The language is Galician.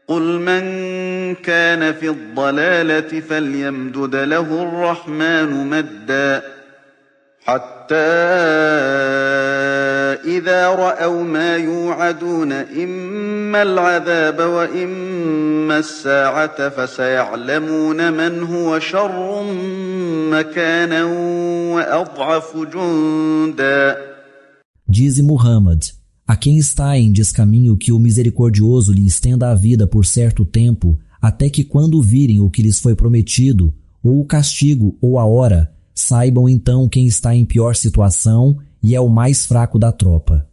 قل من كان في الضلالة فليمدد له الرحمن مدا حتى إذا رأوا ما يوعدون إما العذاب وإما الساعة فسيعلمون من هو شر مكانا وأضعف جندا. Dize Muhammad: a quem está em descaminho que o misericordioso lhe estenda a vida por certo tempo, até que quando virem o que lhes foi prometido, ou o castigo ou a hora, saibam então quem está em pior situação e é o mais fraco da tropa.